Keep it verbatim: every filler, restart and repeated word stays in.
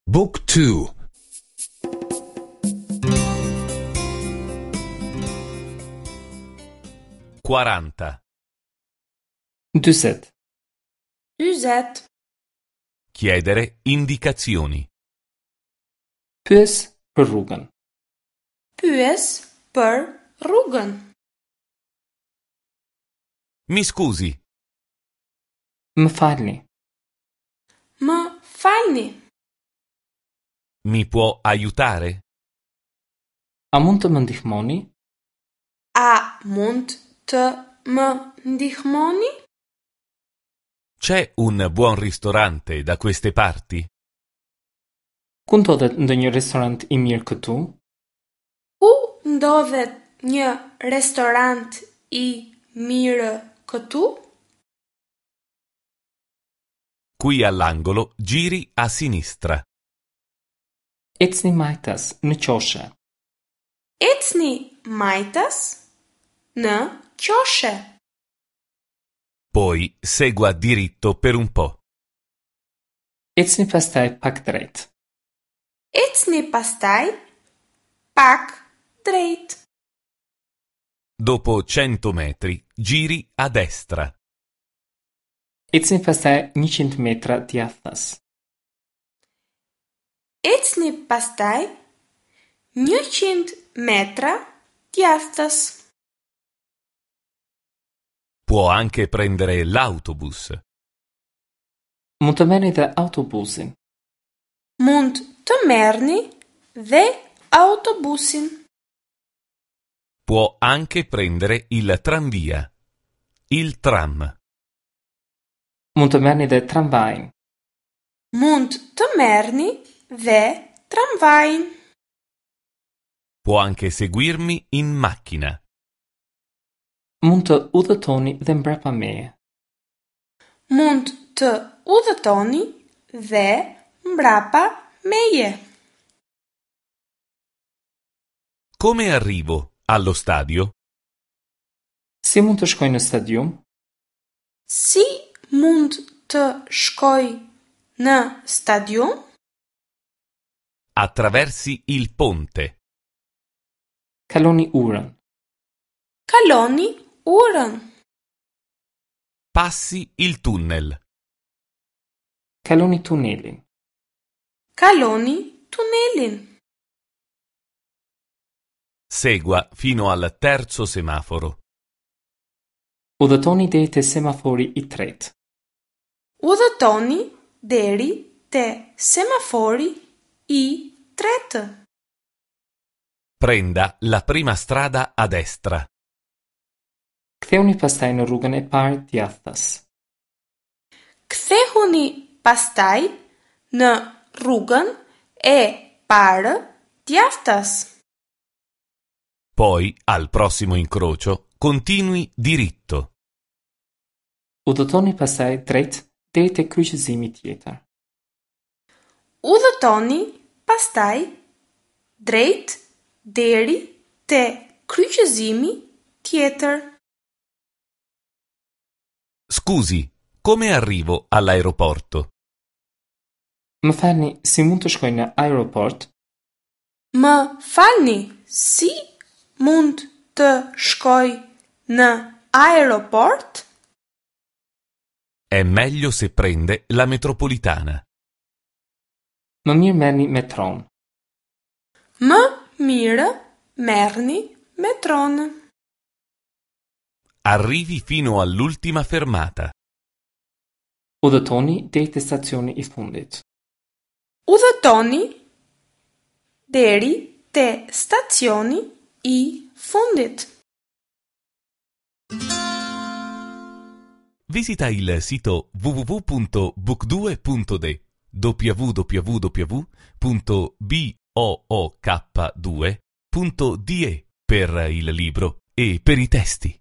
Book two. Quaranta. Dyzet. Dyzet. Chiedere indicazioni. Pyes për rrugën. Pyes për rrugën. Mi scusi. Më falni. Më falni. Mi può aiutare? A mund të më ndihmoni? A mund të më ndihmoni? C'è un buon ristorante da queste parti? Ku ndodhet ndonjë restorant i mirë këtu? Ku ndodhet një restorant i mirë këtu? Qui all'angolo giri a sinistra. Ecni majtas në qoshe. Ecni majtas në qoshe. Poi segua diritto per un po'. Ecni pastaj pak drejt. Ecni pastaj pak drejt. Dopo cento metri giri a destra. Ecni pastaj njëqind metra djathtas. Ecni pastaj njëqind metra djathtas. Può anche prendere l'autobus. Mund të merrni dhe autobusin. Mund të merrni dhe autobusin. Può anche prendere il tranvia. Il tram. Mund të merrni dhe tramvajin. Mund të merrni dhe tramvajin. Può anche seguirmi in macchina. Mund të udhëtoni dhe mbrapa meje. Mund të udhëtoni dhe mbrapa meje. Come arrivo allo stadio? Si mund të shkoj në stadium? Si mund të shkoj në stadium? Attraversi il ponte. Kaloni urën. Kaloni urën. Passi il tunnel. Kaloni tunelin. Kaloni tunelin. Segua fino al terzo semaforo. Udhëtoni deri te semafori i tretë. Udhëtoni deri te semafori i tretë. Prenda la prima strada a destra. Kthehuni pastaj në rrugën e parë djathtas. Kthehuni pastaj në rrugën e parë djathtas. Poi, al prossimo incrocio, continui diritto. Udhëtoni pastaj drejt deri te kryqëzimi tjetër. Udhëtoni pastaj drejt deri te kryqëzimi tjetër. Scusi, come arrivo all'aeroporto? Më falni, si mund të shkoj në aeroport? Më falni, si mund të shkoj në aeroport? È meglio se prende la metropolitana. Më mirë merrni metron. Më mirë merrni metron. Arrivi fino all'ultima fermata. Udhëtoni deri te stacioni i fundit. Udhëtoni deri te stacioni i fundit. Visita il sito w w w punto book due punto de w w w punto b o o k due punto d e per il libro e per i testi.